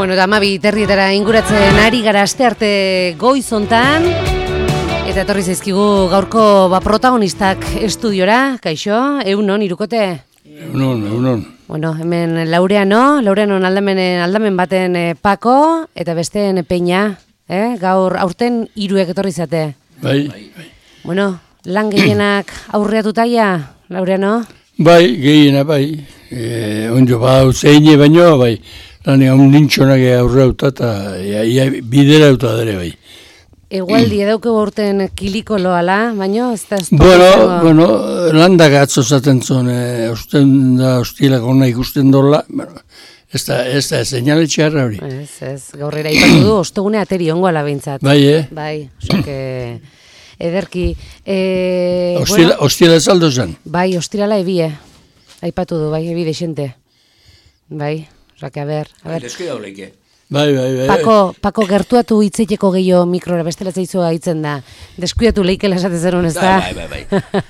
Bueno, eta 12:30 inguratzen ari gara astearte goizontan. Eta etorri zaizkigu gaurko protagonistak estudiora. Kaixo, egunon, irukote? Egunon. Bueno, hemen Laureanon aldamen baten Pako, eta besteen Peña. Gaur aurten hiruek etorri zate. Bai. Bueno, lan gehienak aurreatutaia, Laureano? Bai, gehiena, bai. Onjo, zeine baino, bai. Lan nintxonak aurreauta eta bidera auta dere, bai. Egualdi edauke urten kiliko loala, baino, ez da... Bueno, landak atzo zaten zuen, osten da, hostielak ona ikusten dola, ez da, seinale txarra hori. Ez, gaurrera ipatu du, ostegune ateri ongoala behintzat. Bai, Bai, soke... Ederki... Hostiela saldo zen? Bai, hostirala ebie. Aipatu du, bai, ebi desente. Bai, osake, a ber. Deskuida oleike. Bai. Pako gertuatu hitzeiteko gehiago mikrora, bestela zaizua hitzen da. Deskuidatu leikela esate zerun, ez da? Bai.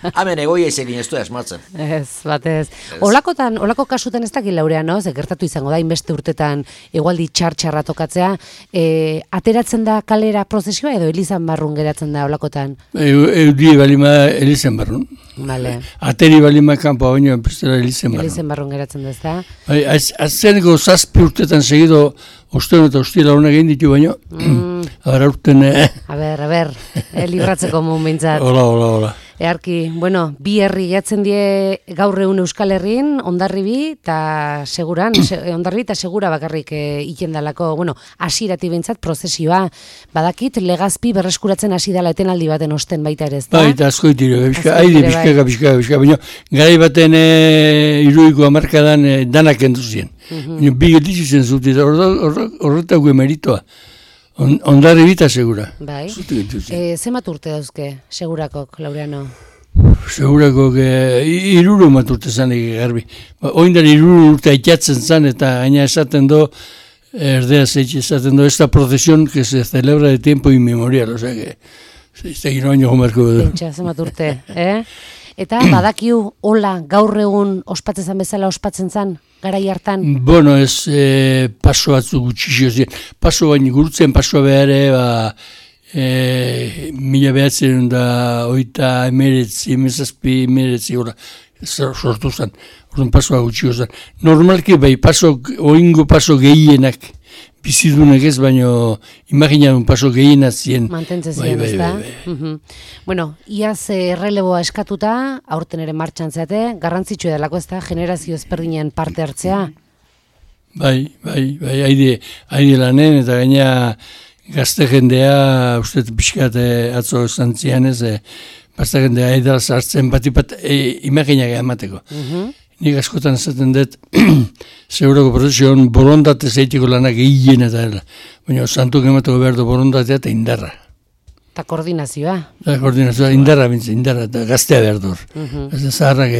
Hemen egoia izekin ez du esmatzen. Ez, batez. Olako kasutan ez dakit Laureano, ze gertatu izango da, inbeste urtetan egualdi txarra tokatzea, ateratzen da kalera prozesioa edo Elizan barrun geratzen da olakotan? Eudie balima Elizan barrun. Vale. Ateri balima kanpoa baino, bestela Elizan barrun. Elizan barrun geratzen da, ez da? Bai, azzeneko 7 urtetan segido osten eta hostiela honak egin ditu baino. Aurten... A ber, libratzeko momentzat. Hola. Earki, bueno, bi herri gehatzen die gaur egun Euskal Herrin, Hondarribi eta Hondarribi eta Segura bakarrik ikendalako, bueno, hasierati behintzat prozesioa. Badakit, Legazpi berreskuratzen hasi dela etenaldi baten osten baita ere, ez da? Bai, eta asko itiro, bizkaka. Baina, garai baten iruiko hamarkadan danak enduzien. Bi getitzu zen zut, eta horretako emeritoa. Hondarribi eta Segura. Bai. Zemat urte dauzke, Segurakok, Laureano? Segurakok 3 urte zanek garbi. Oindar 3 urte aitatzen zan, eta gaina esaten do, erdea zeitxe esaten do, esta procesión que se celebra de tiempo inmemorial, osea que, ez da gino baino gomarko edo. Pentsa, zemat urte, Eta badakiu, hola, gaur egun ospatzen bezala ospatzen zan? Garai hartan? Bueno, ez paso batzuk gutxixio ziren. Paso baino gurutzen pasoa behare, 1989 sortu zen. Orduan pasoa gutxio zen. Normalki bai, oingo paso gehienak bizidunek ez, baino imaginadun paso gehiena zien. Mantentzen ziren, ez da? Bueno, iaz erreleboa eskatuta, aurten ere martxan zeate, garrantzitsu edalako ez da, generazio ezberdinen parte hartzea? Bai, haide lanen, eta gaina gazte jendea, uste pixkat atzo esan zian ez, gazte jendea haidara zartzen bat imaginak emateko. Nik askotan esaten dut, Segurako prozesioan borondate zeitiko lanak egin eta dela. Baina santuk emateko behar du borondatea eta indarra. Eta koordinazioa. Indarra, eta gaztea behar dur. Ez da zaharrak,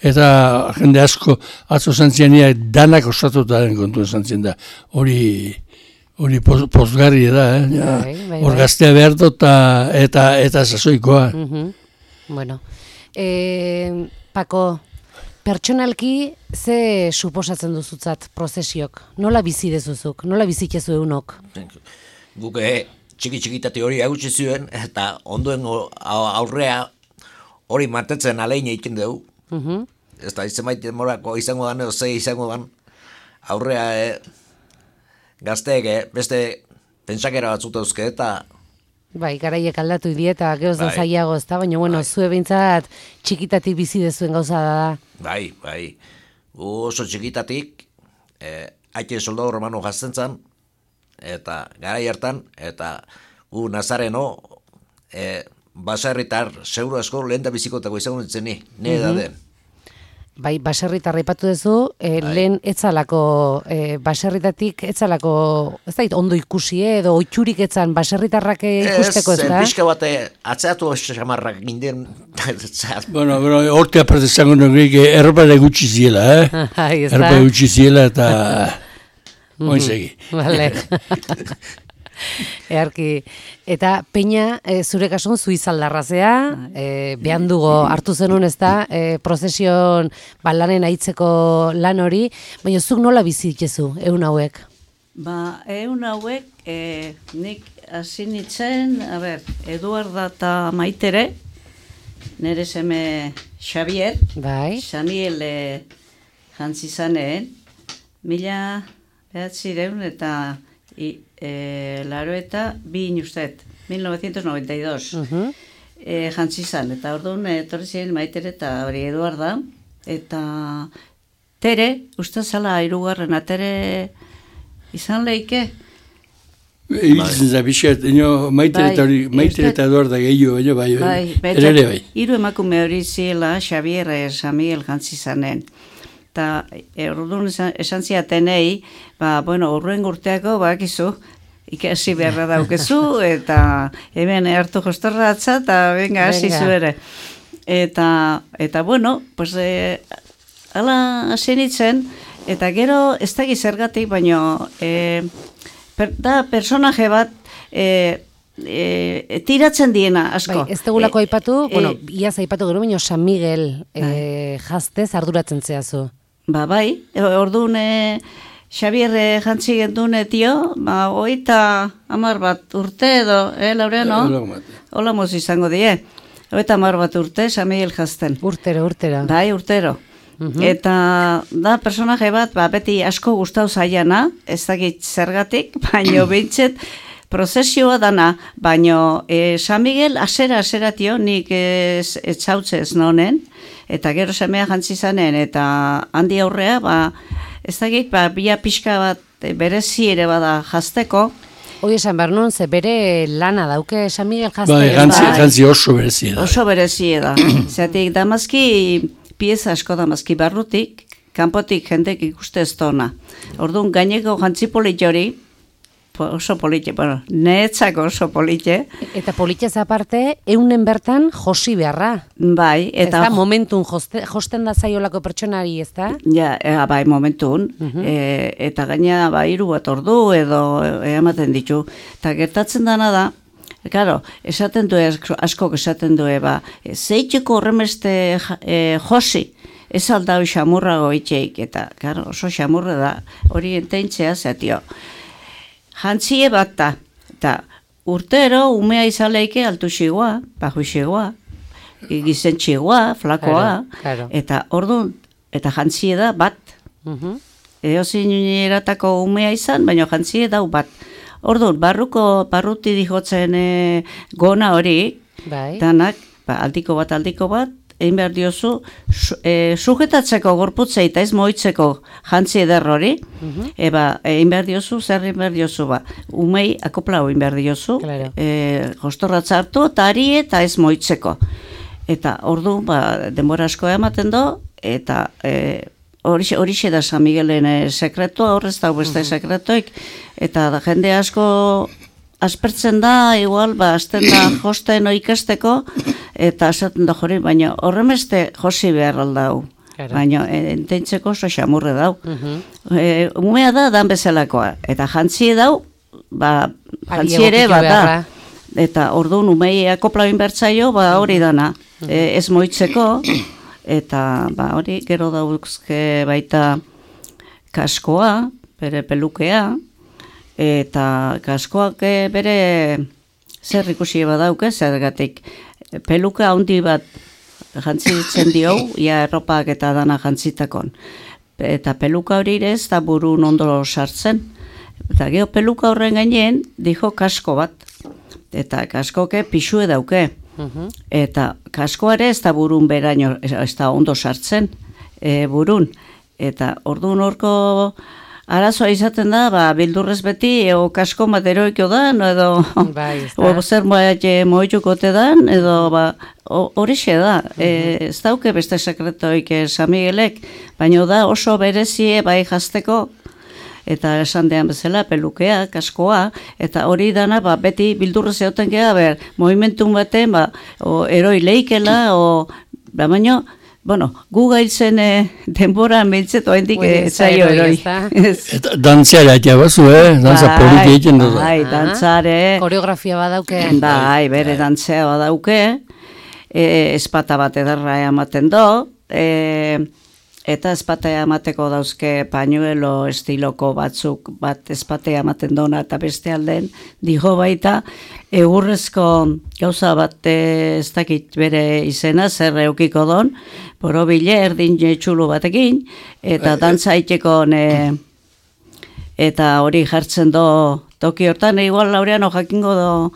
eta jende asko atzo zantzianiak danak osatuta den kontu zantzien da. Hori pozgarri da, hor gaztea behar du eta sasoikoa. Bueno, Pako, pertsonalki, ze suposatzen duzutzat prozesiok? Nola bizi dezuzuk? Nola bizikezu egunok? Guk txiki-txikitati hori agutsi zuen, eta ondoen aurrea hori mantetzen alein egiten dugu. Ez da, izan morako izango dan, zei izango dan, aurrea gazteek beste pentsakera batzut dauzke, eta... Bai, garaiek aldatu idieta, gehoz da zailago, ez da, baina, bueno, zue behintzat txikitatik bizi dezuen gauza da. Bai, oso txikitatik, haite soldadu romano jazten zan, eta garai hartan, eta gu Nazareno, baserritar seguru asko lehen da bizikotako izango nintzen ni edaden. Bai, baserritarra ipatu duzu, lehen etzalako, baserritatik etzalako, ez da, ondo ikusi edo oitxurik etzan baserritarrak ikusteko, ez da? Ez, pixka bat atzeatu xamarrak ginden. Bueno, horte aparte zango nukeik erropa da gutxi ziela, Erropa da gutxi ziela eta oinzegi. Vale. Earki, eta Peña, zure kasun zuizaldarrazea, behan dugu hartu zenun ez da, prozesion lanen aitzeko lan hori, baina zuk nola bizitzezu, egun hauek? Ba, hauek, nik hasi nintzen, Eduarda eta Maitere, nire seme Xavier, Bai. Xaniel jantzi zaneen, 1900 eta laro eta 1992. Jantzi zan, eta orduan etorri ziren Maitere eta hori Eduarda, eta Tere, uste zala hirugarrena, Tere izan leike? Ibiltzen za bizkat, Maitere eta Eduarda gehiago, bai. Hiru emakume hori ziela, Xavier Samiel jantzi zanen. Eta orduan esan ziatenei, urruen urteako, bakizu, ikasi beharra daukezu, eta hemen hartu jostorratza, eta venga, hasi zuere. Eta pues, ala hasi nintzen, eta gero ez da gizergatik, baino, da personaje bat, tiratzen diena, asko. Bai, ez tegulako aipatu, iaz aipatu gero, baino San Miguel jaztez arduratzen zehazu. Bai, orduan Xavier jantzi gendun tio, 30 bat urte edo, Laureano? Hola moz izango die. 30 bat urte, San Miguel jazten. Urtero. Bai, urtero. Eta da personaje bat, beti asko gustau zaiana, ez dakit zergatik, baino bintzet prozesioa dana, baino San Miguel asera tio, nik etxautze ez nonen, eta gero semea jantzi zanen, eta handi aurrea, ez dakit, bia pixka bat berezi ere bada jazteko. Hoi esan behar nun, ze bere lana dauke San Miguel jazte. Bai, jantzi oso berezi da. Oso berezi da. Zeatik, damazki pieza asko damazki barrutik, kanpotik jendek ikuste ez tona. Orduan, gaineko jantzi politxori, oso politxe, neetzako oso politxe. Eta politxez aparte, eunen bertan josi beharra. Bai, eta... Ez da, momentun josten da zaiolako pertsonari, ez da? Ja, bai, momentun. Eta gaina, hiru bat ordu edo ematen ditu. Eta gertatzen dana da, claro, esaten du, askok esaten du, zeitzeko horremeste josi, ez aldau xamurrago itxeik, eta, claro, oso xamurra da, hori enteintzea zeatio. Jantzie bat da, eta urtero umea izaleike altu xigoa, baju xigoa, gizen xigoa, flakoa, eta orduan, eta jantzie da bat. Eozin eratako umea izan, baina jantzie dau bat. Orduan, barruti dihotzen gona hori, danak, aldiko bat, egin behar diozu, sujetatzeko gorputzei eta ez moitzeko jantzi eder hori, egin behar diozu, zer egin behar diozu, umei akoplau egin behar diozu, jostorratza hartu, eta ari eta ez moitzeko. Eta ordu, denbora asko ematen do, eta horixe da San Miguelen sekretua, horrez da beste sekretoik, eta jende asko aspertzen da, igual, azten da josten ikasteko, eta esaten da jori, baina horremeste josi behar aldau. Baina enteintzeko oso xamurre dau. Umea da, dan bezalakoa. Eta jantzi dau, jantzi ere bat da. Eta orduan umei akoplabin bertzaio, hori dana. Ez moitzeko, eta hori gero dauzke baita kaskoa, bere pelukea, eta kaskoak bere zer ikusi badauke, zergatik peluka handi bat jantzitzen dio, ia erropak eta dana jantzitakon. Eta peluka hori ere ez da burun ondo sartzen. Eta geho peluka horren gainen dijo kasko bat. Eta kaskoke pixue dauke. Eta kaskoare ez da burun beraino, ez da ondo sartzen burun. Eta orduan horko arazoa izaten da, bildurrez beti, kasko materoiko dan, edo zer moitukote dan, edo horixe da. Ez dauke beste sekretoik San Miguelek, baina da oso berezie bai jazteko, eta esan dean bezala, pelukea, kaskoa, eta hori dana beti bildurrez egoten geha, movimentun baten, eroi leikela, baina, gu gailtzen denbora mentzet oendik etzaio eroi. Eta dantzara eta bazu, dantza politi egiten dut. Bai, dantzare. Koreografia badauke. Bai, bere dantzea badauke. Espata bat edarra ematen do. eta ezpatea emateko dauzke pañuelo estiloko batzuk, bat ezpatea ematen dona eta beste alden, dijo baita, egurrezko gauza bat ez dakit bere izena, zer eukiko don, borobile erdin txulu batekin, eta dantza iteko eta hori jartzen do toki hortan, igual Laureano jakingo do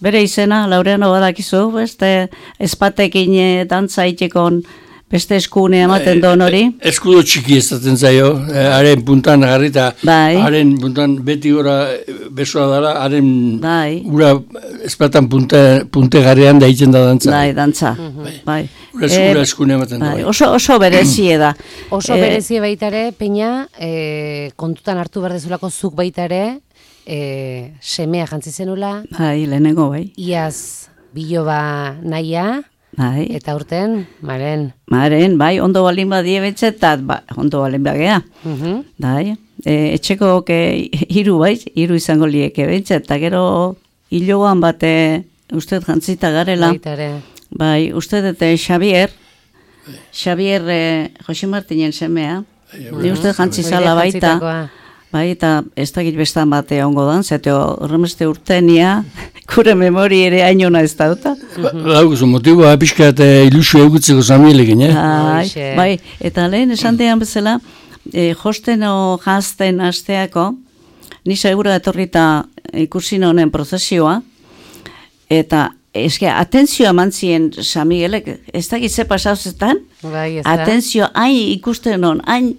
bere izena, Laureano badakizu, beste ezpatekin dantza iteko beste eskune ematen don hori. Eskudo txiki ezaten zaio, haren puntan garrita, haren puntan beti gora besoa dara, haren ura espatan punte garrean da itzen da dantza. Bai, dantza. Bai. Ura eskune ematen da. Oso berezie da. Oso berezie baitare, Peña, kontutan hartu berdezulako zuk baitare, semea jantzi zenula. Bai, lehenengo bai. Iaz biloba nahia. Bai. Eta urten, Maren, bai, ondo balin badie betxetat, ondo balin bagea. Bai, etxeko hiru bai, hiru izango lieke betxet, eta gero hiloan bate uste jantzita garela. Baitare. Bai, uste dute Xavier, Jose Martinen semea, ni uste jantzizala baita. Bai, eta ez dakit bestan bate ongo dan, zete horremeste urtenia, kure memori ere hainona ez dauta. Daukuzu, motiboa pixkat ilusio egutzeko zamielekin, Bai, eta lehen esan dean bezala, josten o jazten asteako, ni segura etorrita ikusi honen prozesioa, eta atentzioa mantzien Samielek, ez dakit ze pasauzetan, atentzio, hain ikusten hon, hain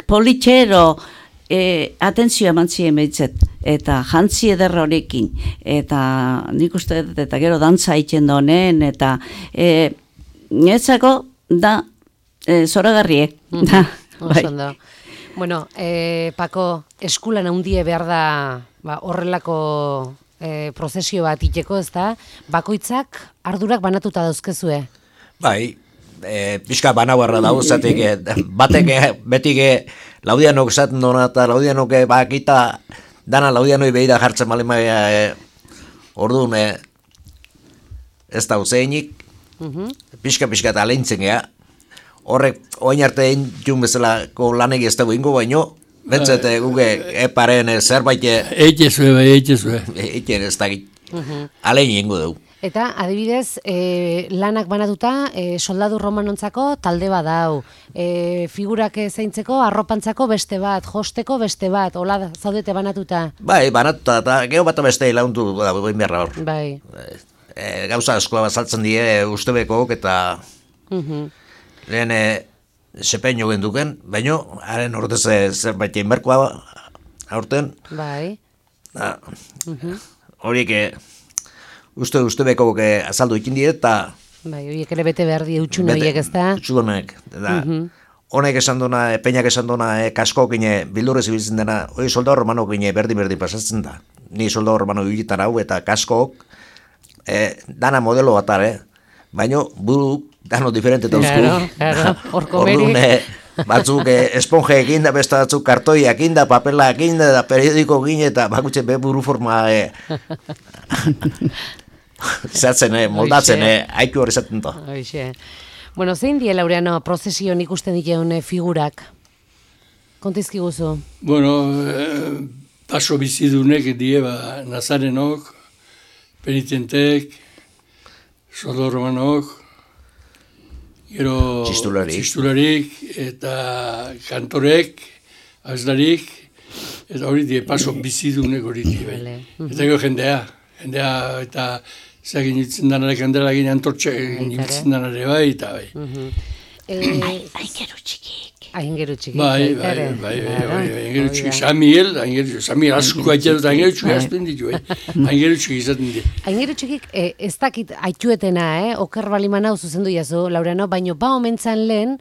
politxero atentzioa mantzien behitzet, eta jantzi ederra horrekin, eta nik uste dut, eta gero dantza iten donen, eta netzako da zoragarrie. Bueno, Pako, eskulan handie behar da horrelako prozesio bat iteko, ez da? Bakoitzak ardurak banatuta dauzkezue? Bai, pixka banabarra dago, zatik, batek betik Laudianok zaten dona, eta Laudianok bakita dana Laudianoi behida jartzen mali maia orduan ez da uzeinik, pixka eta aleintzen gea, horrek oin arte egin bezalako lanek ez dago ingo baino, bentzete guge eparen zerbait eitezue ez da alein ingo dugu. Eta, adibidez, lanak banatuta, soldadu romanontzako talde bat dau. Figurak zaintzeko, arropantzako beste bat, josteko beste bat, hola zaudete banatuta? Bai, banatuta, eta geho bat beste laundu da, behin beharra hor. Bai. Gauza askoa bazaltzen die ustebekok, eta lehen sepeño genduken, baino, haren ordez zerbait inberkoa aurten. Bai. Horiek Uste beko azaldu ikin die, eta... Bai, horiek ere bete behar die utxune horiek ez da? Utxudonek, eta honek esan duna, Peñak esan duna, kaskoak bildurrez ibiltzen dena, hori soldado romanok berdi pasatzen da. Ni soldado romano ibitan hau, eta kaskoak dana modelo bat, baina buru dano diferente dauzku. Claro, horko berik. Batzuk esponje egin da, beste batzuk kartoiak egin da, papela egin da, periodiko egin, eta bakutxe buru forma... Zatzen, moldatzen, haiku hori zaten da. Bueno, zein die, Laureano, prozesioan ikusten diteun figurak? Kontizki guzu? Bueno, paso bizidunek die, Nazarenok, penitentek, soldado romanok, gero txistularik, eta kantorek, azlarik, eta hori die, paso bizidunek hori die. Eta gero jendea, eta zagin itzen danarek handela gine antortxe itzen danare bai, eta bai. Aingeru txikik. Aingeru txikik. Bai, aingeru txikik. Samiel asko aitzatu eta aingeru txikik azten ditu, aingeru txikik izaten ditu. Aingeru txikik ez dakit aituetena, oker baliman hau zuzendu jazu, Laureano, baino omentzan lehen,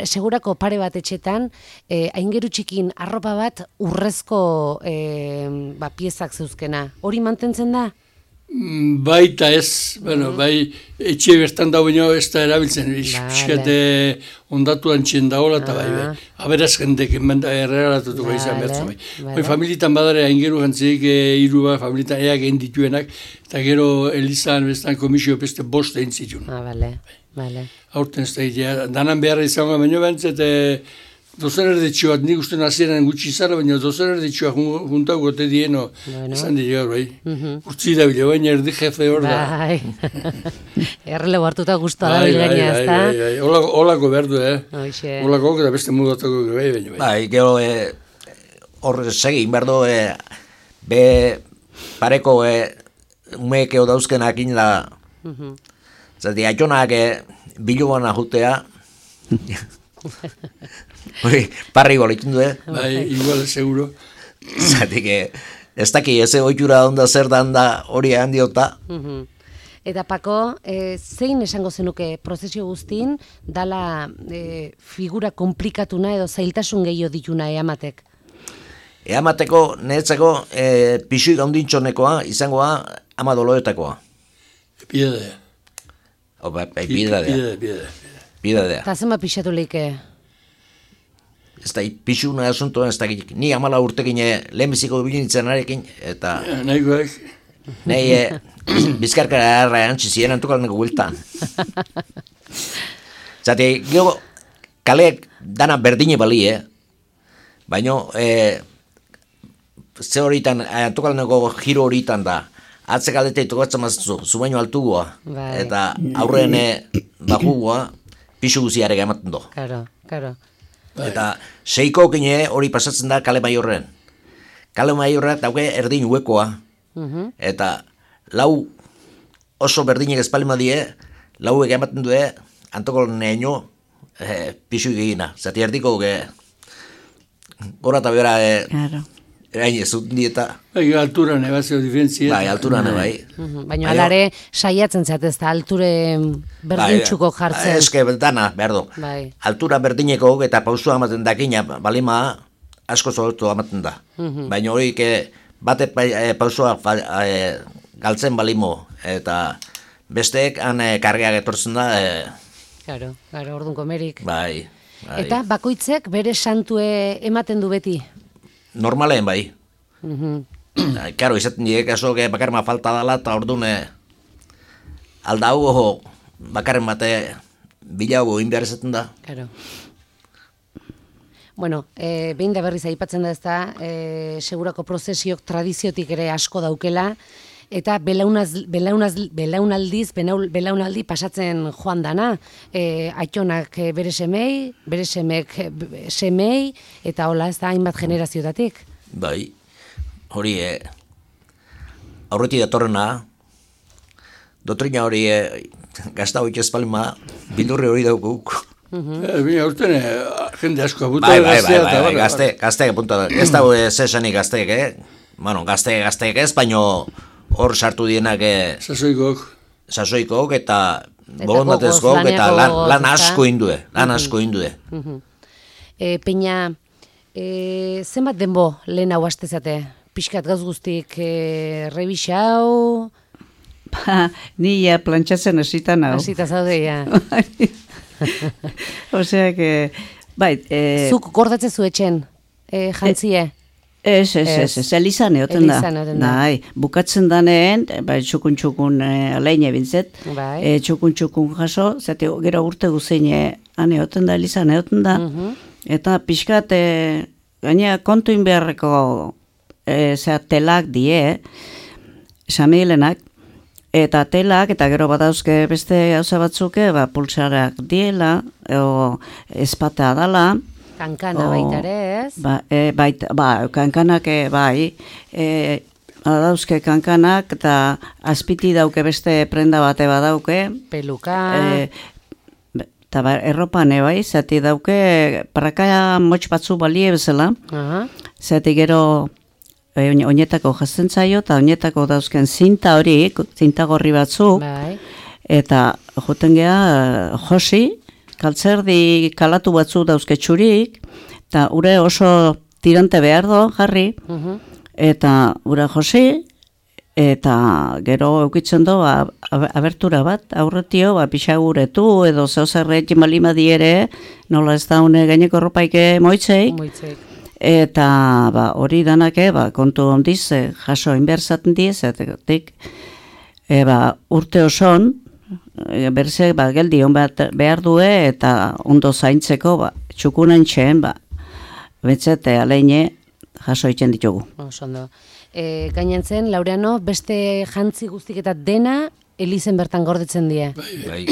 segurako pare bat etxetan, aingeru txikin arropa bat urrezko piezak zeuzkena. Hori mantentzen da? Baita ez, bueno, bai, etxe bertan da baino ez da erabiltzen, pixkate ondatu antxien dagoela, eta bai, aberaz jendek erregalatutuko izan bertzen, bai. Bai, familitan badare aingeru jantzik, hiru bat, familitan eak egin dituenak, eta gero Elizan, bestan komisio beste bost egin zituen. Bale. Aurten ez da, danan beharra izango baino bentzet, dozen erdetxoak, nik uste nazieran gutxi zara, baina dozen erdetxoak juntau gote dieno, esan dira gaur, bai. Urtzi da bile, baina erdi jefe hor da. Bai. Errelego hartuta guztua da bilgaina, ez da? Bai. Olako behar du, Olako eta beste mudatako bai, baina bai. Bai, gero hor segin behar du, be pareko umeekeo dauzkenak inda, zati, aitonak bilubana jutea, hori, parri golitzen du, Bai, igual, seguro. Zatik, ez daki, eze oitura onda zer da hori handiota. Eta Pako, zein esango zenuke prozesio guztin, dala figura komplikatuna edo zailtasun gehiago dituna eamatek? Eamateko, niretzako, pixuik handintxonekoa, izangoa, ama doloetakoa. Piedadea. Piedadea. Eta zema pixatu leike? Ez da, pixuna asuntoan ez da, ni 14 urtekin lehenbiziko bilinitzen arekin, eta... Nahikoak. Nahi, bizkarkara erra antzi ziren antukalneko guiltan. Zate, gero, kaleek dana berdine bali, baina, ze horitan, antukalneko giro horitan da, atzek aldete tokatzen mazizu, zu baino altugoa, eta aurren bajugoa, pixu guziarega ematen do. Karo. Eta seiko kine hori pasatzen da kale maiorren. Kale maiorra dauke erdin huekoa. Eta lau oso berdinek espalima die, lauek ematen due, antokol neño pixu egina. Zati erdiko gora eta bera erain ez zuten dieta. Bai, alturan ebazio diferentzia. Bai, alturan bai. Baina alare saiatzen zatez, eta alture berdintxuko jartzen. Eske dana, behar du. Bai. Altura berdineko eta pausua amaten dakina, balima asko zolotu amaten da. Baina hori bate pausua galtzen balimo, eta besteek han kargeak etortzen da. Karo, orduan komerik. Bai. Eta bakoitzek bere santue ematen du beti? Normalen bai. Karo, izaten direk aso bakarma falta dala, eta orduan aldau bakarren bate bilago inbehar izaten da. Karo. Bueno, behin da berriz aipatzen da ez da, segurako prozesiok tradiziotik ere asko daukela, eta belaunaldi pasatzen joan dana, aitonak bere semek semei, eta hola ez da hainbat generaziotatik. Bai, hori aurretik datorrena, dotrina hori gazta hori ezpalma, bildurri hori daukuk. Bina urten jende asko apunta bai, gazteak apunta. Ez dago zesanik gazteek, Bueno, gazteek ez, baino hor sartu dienak sasoikok eta bolondatezkok eta lan asko indue. Peña, zenbat denbo lehen hau astezate? Pixkat gauz guztik rebixau? Ni ja plantxatzen hasitan hau. Hasita zaude, ja. Osea que, bai... Zuk gordatze zu etxen, jantzie? Ez, Elizan egoten da. Nahi, bukatzen daneen, bai, txukun aleine bintzet, txukun jaso, zate gero urte guzein han egoten da, Elizan egoten da, eta pixkat, gaina kontuin beharreko telak die, Samigelenak, eta telak, eta gero badauzke beste gauza batzuke, pulsarak diela, espatea dala, kankana baitare, ez? Kankanak, bai. Dauzke kankanak, eta azpiti dauke beste prenda bate badauke. Peluka. Eta erropan, bai, zati dauke, paraka motx batzu balie bezala. Zati gero oinetako jazten zaio, eta oinetako dauzken zinta hori, zinta gorri batzu. Eta joten geha josi, kaltzerdi kalatu batzu dauzke txurik, eta ure oso tirante behar do, jarri, eta ura josi, Eta gero eukitzen do, abertura bat, aurretio, pixaguretu, edo zeozerret jimalima diere, nola ez da une gaineko ropaike moitzei. Eta hori danake, kontu ondiz, jaso inberzaten diez, etik, urte oson, berze, geldi hon bat behar due, eta ondo zaintzeko, txukunen txen, betzete aleine jaso itzen ditugu. Osondo. Gainantzen, Laureano, beste jantzi guztik eta dena elizen bertan gordetzen die. Bai.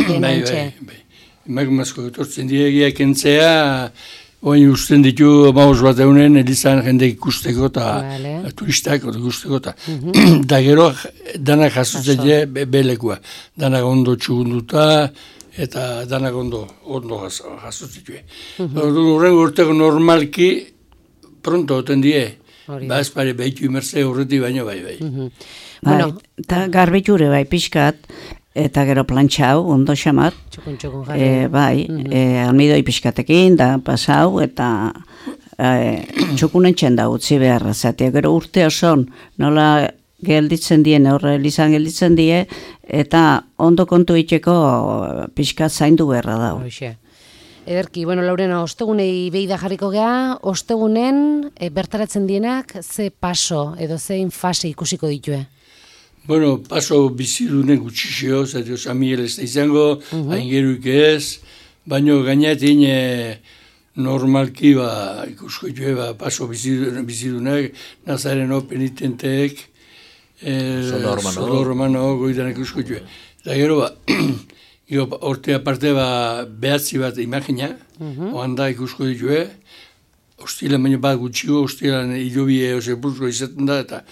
Emakumazko etortzen diegiak entzea, oin usten ditu maus bat eunen elizan jende ikusteko eta turistak ikusteko eta da gero danak jasotzen die belekua. Danak ondo txugunduta eta danak ondo jasotzen die. Horren urteko normalki pronto oten die. Ez pare behitu imerze horreti baino bai. Eta garbitxure pixkat, eta gero plantxau, ondo xamar. Txukun jarri. Almidoi pixkatekin, da pasau, eta txukunen txenda utzi beharra. Zatea gero urte oson, nola gelditzen die, horre elizan gelditzen die, eta ondo kontu itxeko pixkat zaindu beharra dau. Ederki, Laurena, ostegunei behida jarriko gea, ostegunen bertaratzen dienak ze paso edo zein fase ikusiko ditue? Paso bizidunen gutxixio, zateo Samiel ez da izango, aingeruik ez, baino gainetin normalki ikusko ditue paso bizidunak, Nazareno penitenteek, Solormano, goidan ikusko ditue. Eta gero horte aparte behatzi bat imagina, oanda ikusko ditue, hostilan baino bat gutxiko, hostilan hilobie sepultro izaten da, eta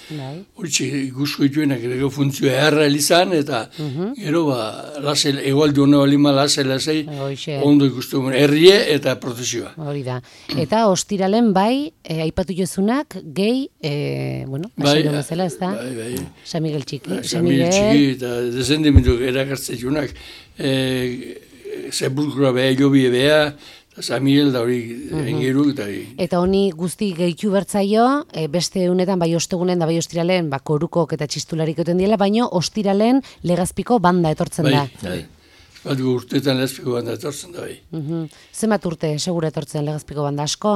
hori ikusko dituenak gero funtzioa erra elizan, eta gero egualdi hona balima lasei, ondo ikustu herrie eta prozesioa. Hori da. Eta ostiralen aipatu jozunak, gehi, basilo bezala, ez da? Bai. San Miguel Txiki. San Miguel Txiki, eta dezendimendu erakartzen junak, sepulkroa hilobie beha, San Miguel da hori engeru. Eta honi guzti gehitu bertzaio, beste unetan bai ostegunen da bai ostiralen korukok eta txistularik oten diela, baino ostiralen legazpiko banda etortzen da. Bat urteetan legazpiko banda etortzen da bai. Zenbat urte segura etortzen legazpiko banda asko?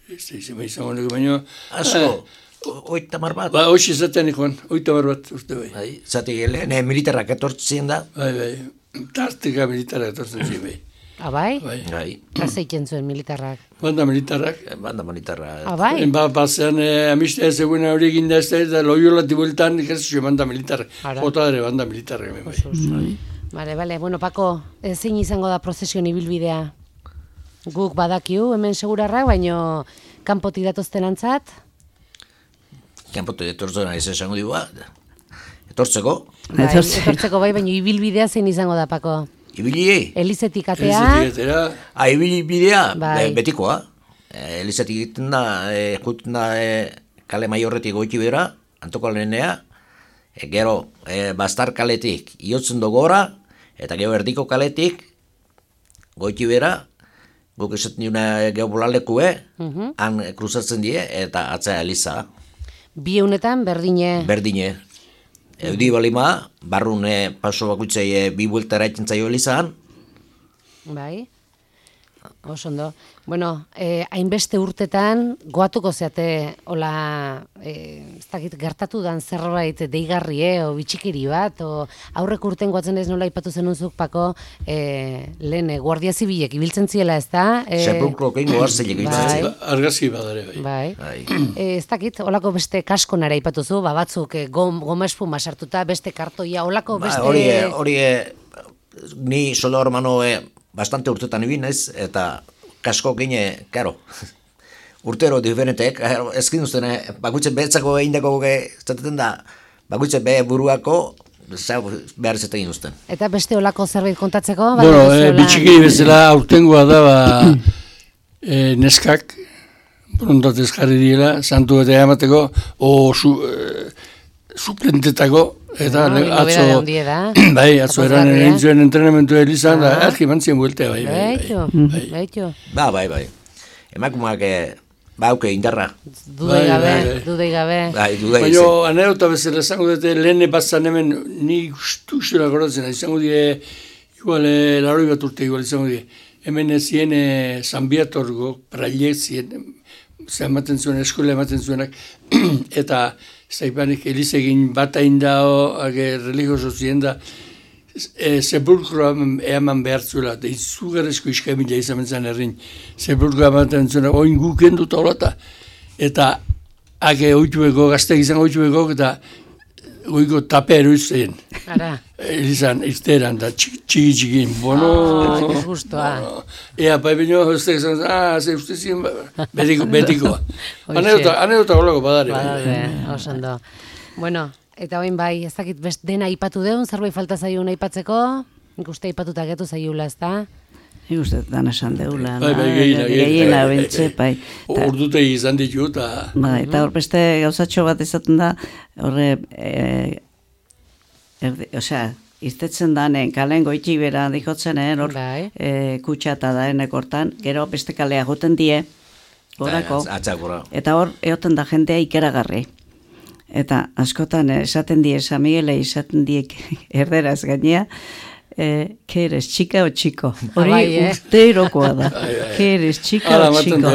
Ez da izan honeko baino. Asko? 80 bat? Hoxe zatean ikon, 80 bat urte bai. Zati gelen, militarrak etortzen da? Bai. Tarteka militarrak etortzen zien bai. Bai? Bai. Kaseiken zuen militarrak? Banda militarrak. Bai? Bazean amistea zegoena hori eginda ez da, Loyola tibueltan ikasizio banda militarrak. Jota ere banda militarrak. Bale, Pako, zein izango da prozesion ibilbidea? Guk badakiu, hemen segurarrak, baino kanpotik datozten antzat? Kanpotik etortzen ez esango digu etortzeko? Etortzeko baino ibilbidea zein izango da, Pako? Ibili? Elizetik atea? Ibilbidea, betikoa. Elizetik egiten da, juten da kale maiorretik goiti bera, antoko alenea, gero bastar kaletik iotzen gora, eta gero erdiko kaletik goiti bera, guk esaten diuna geobolalekue, han kruzatzen die, eta atzea eliza. Bi honetan berdine? Berdine. Eudi balima, barrun paso bakuitzei bi buelta eraitzen zaio elizan. Bai. Osondo. Hainbeste urtetan goatuko zeate, hola, ez dakit gertatu dan zerbait deigarri, o bitxikiri bat, o aurrek urten goatzen ez nola ipatu zenunzuk, Pako, lehen guardia zibilek ibiltzen ziela, ez da? Sepulkrokein goarzilek ibiltzen ziela. Argazki badare, bai. Ez dakit, holako beste kaskonara ipatuzu, batzuk goma espuma sartuta, beste kartoia, holako beste... Hori, ni Solormano bastante urtetan ibin ez, eta kasko gine, karo, urtero diferentek, ezkin duzten, bakutzen behetzako egindako zaten da, bakutzen behe buruako, behar zetegin duzten. Eta beste olako zerbait kontatzeko? Bitxiki bezala aurtengoa da, neskak, brontatez jarri diela, santu eta emateko, suplentetako, eta atzo eran egin zuen entrenamentu elizan, argi mantzien bueltea, bai. Baitu. Bai. Emakumeak Bauke indarra. Dudei gabe. Bai, dudei. Baina, anedota bezala izango dute, lehen batzan hemen, ni guztusura goratzen, izango die, igual, laroi bat urte igual izango die. Hemen ezien San Biatorgo, prailek zien, ematen zuen, eskola ematen zuenak, eta zaipanik elizegin bat aindao, religioso zien da, sepulkroa eman behar zuela, eta izugarrezko iskamila izan zen errin, sepulkroa ematen zuena, oin guken dut horreta, eta oitubeko, gazteak izan oitubeko, eta goiko taperu izan. Ara. Elizan, izteran, da txiki-txikin, bono. Justoa. Ea, pai baino, ez izan, ze uste ziren, betiko. Anedota golako badare. Osando. Bueno, eta hoin bai, ez dakit best dena aipatu deun, zerbait falta zaiun aipatzeko, nik uste aipatuta getu zaiula, ez da? Nik uste dan esan deula. Gehiena, bentze, bai. Ordutegi izan ditu, eta... Bai, eta hor beste gauzatxo bat izaten da, horre, iztetzen danen, kalen goitxi bera dikotzen, hor, kutsata daenek hortan, gero beste kalea goten die, gorako, eta hor, eoten da jendea ikeragarri. Eta askotan esaten die, San Miguele esaten diek erderaz gainea, que eres chica o chico. Hori urterokoa da. Que eres chica o chico.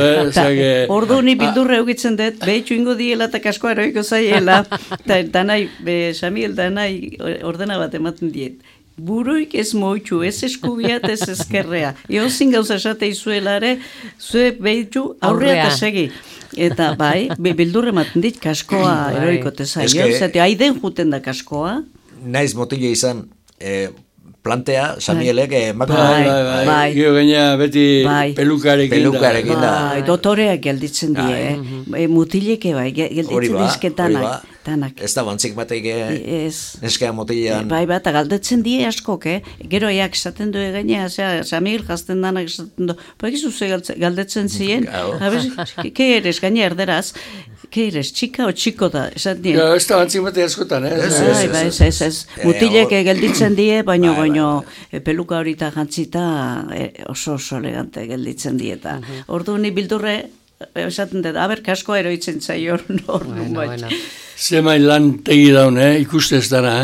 Ordu ni bildurra eukitzen dut, behitu ingo diela eta kaskoa eroiko zaiela, eta danai, San Miguel danai ordena bat ematen diet. Buruik ez moitxu, ez eskubiat, ez ezkerrea. Eozin gauza esate izuela ere, zue behitu aurrea eta segi. Eta bai, bildurre ematen dit, kaskoa eroiko tezaio. Zate, haiden juten da kaskoa. Naiz motile izan, plantea, Samielek, bai. Gio gaina beti pelukarekin da. Bai, dotoreak gelditzen die, mutileke bai, gelditzen dizketanak. Ez da bantzik batek eskea motilean. Bai, eta galdetzen die askok, gero eak esaten du gaina, San Miguel jazten danak esaten du, bakizu ze galdetzen ziren, ke eres gaina erderaz, ke eres txika o txiko da, esaten die. Ez da bantzik batek askotan, ez. Mutileke gelditzen die, baino peluka horita jantzita oso elegante gelditzen dieta. Ordu ni bildurre, esaten dut, aber kaskoa eroitzen zaio ordu bat. Zemain lan tegi daun, ikuste ez dara,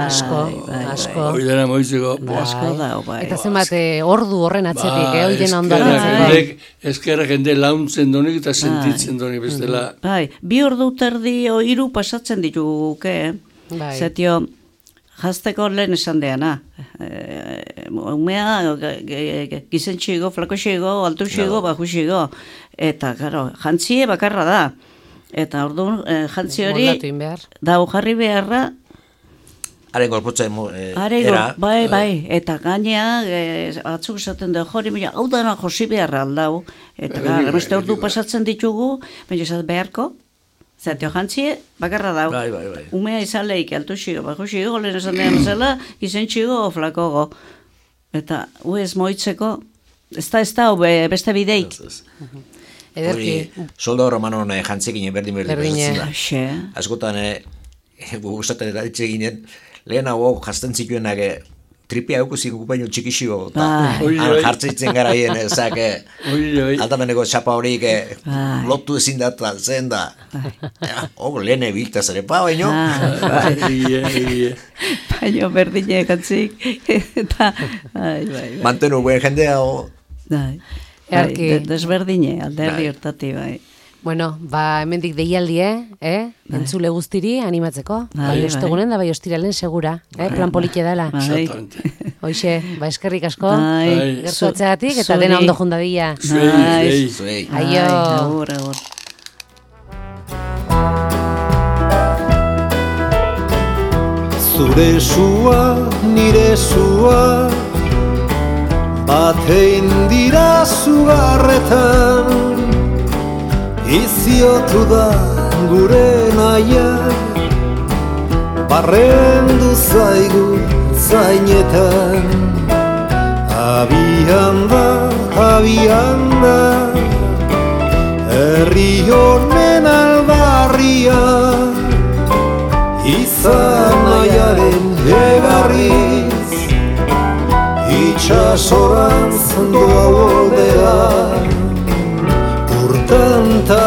Asko. Hoi dena moitzeko. Asko da, bai. Eta zenbat ordu horren atzetik, hoi dena ondatzen. Ezkerra jende launtzen donik eta sentitzen donik bestela. Bai, 2 ordu terdi o 3 pasatzen dituguke, zetio, jazteko lehen esan deana. Umea, gizentxigo, flakoxigo, altuxigo, bajuxigo. Eta, karo, jantzie bakarra da. Eta orduan, jantzi hori, dau jarri beharra... Haren gorputzen era. Bai, eta gainea, atzuk esaten da, jori, hau dana josi beharra aldau. Eta gara, beste ordu pasatzen ditugu, baina esat beharko, zatio jantzie, bakarra dau. Bai. Umea izaleik, altuxigo, bajuxigo, lehen esan dean zela, gizentxigo, flakogo. Eta, ez moitzeko, ez da, beste bideik. Ederki. Soldo romanon jantzekin berdin da. Askotan, gustaten eta ditze ginen, lehen hau jazten zituenak tripia eukuzik baino txikixio, jartzeitzen garaien, ezak, aldameneko txapa horik lotu ezin da, zen da. Lehen ebiltaz ere, baino. Baino berdine jantzik. Mantenu buen jendea. Desberdine, alderdi hortati, bai. Bueno, hemendik deialdi, entzule guztiri animatzeko. Bai ostegunen da, bai ostiralen segura, plan polite dela. Hoxe, eskerrik asko, gertu atzegatik, eta dena ondo jundadilla. Zuei. Aio. Agur. Zure sua, nire sua, batein dira zugarretan, iziotu da gure naia, barrendu zaigu zainetan. Abian da, herri honen albarria, izan nahiaren egarriz, itxasorantz doa ordea, urtanta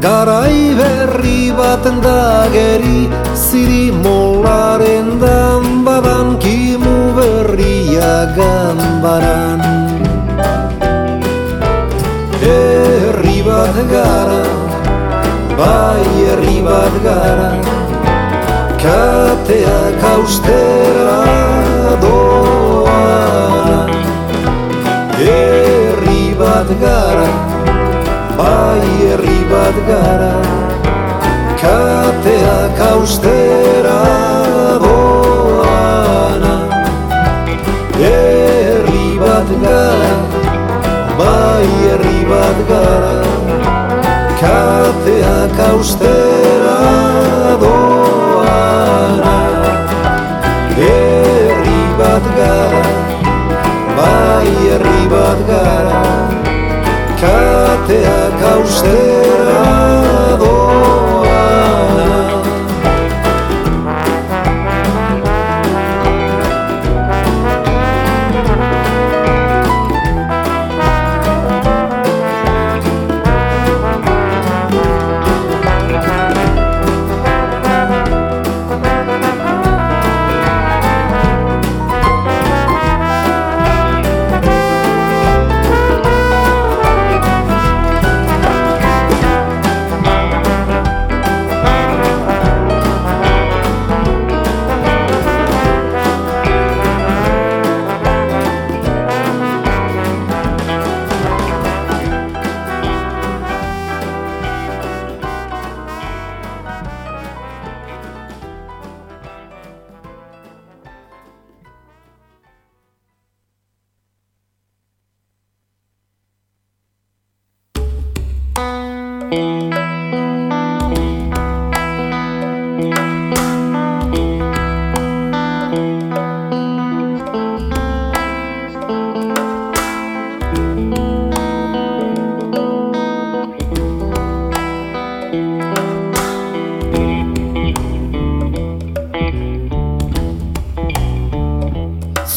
garai berri baten dageri, zirimolaren danbadan, kimu berria ganbaran. Herri bat gara, bai herri bat gara, kateak austera doana. Herri bat gara, bai herri bat gara, kateak austera doana. Herri bat gara, bai herri bat gara, kateak austera doana. Herri bat gara, bai herri bat gara, kateak austera doana.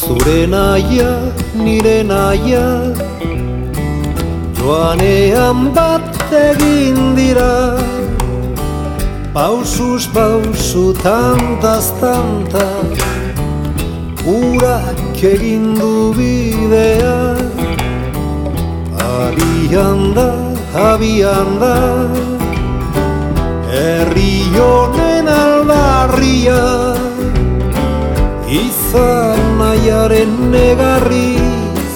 Zure naia, nire naia, joanean bat egin dira, pausuz pausu, tantaz tanta, urak egin du bidea. Abian da, herri honen aldarria, izan nahiaren negarriz,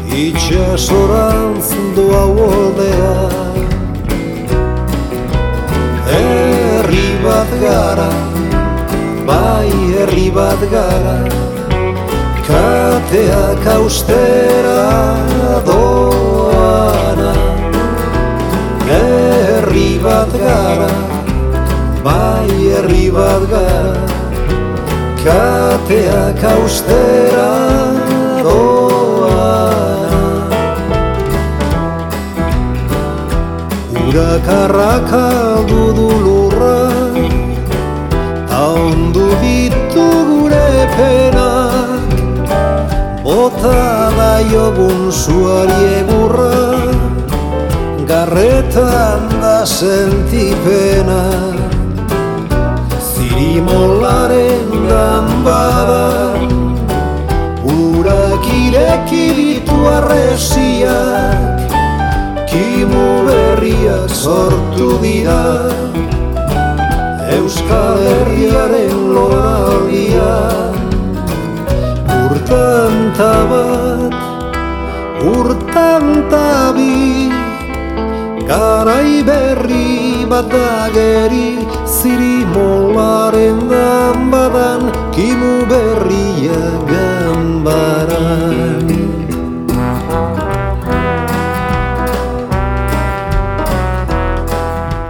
itxasorantz doa uoldea. Herri bat gara, bai herri bat gara, kateak austera doana. Herri bat gara, bai herri bat gara, kateak austera doana. Urak arrakaldu du lurra, ta ondu ditu gure penak, bota daiogun zuari egurra, garretan da sentipena. Zirimolaren danbadan, urak ireki ditu arresiak, kimu berriak sortu dira, Euskal Herriaren loraldian. Urtanta bat, urtanta bi, garai berri bat ageri, zirimolaren danbadan, kimu berria ganbaran.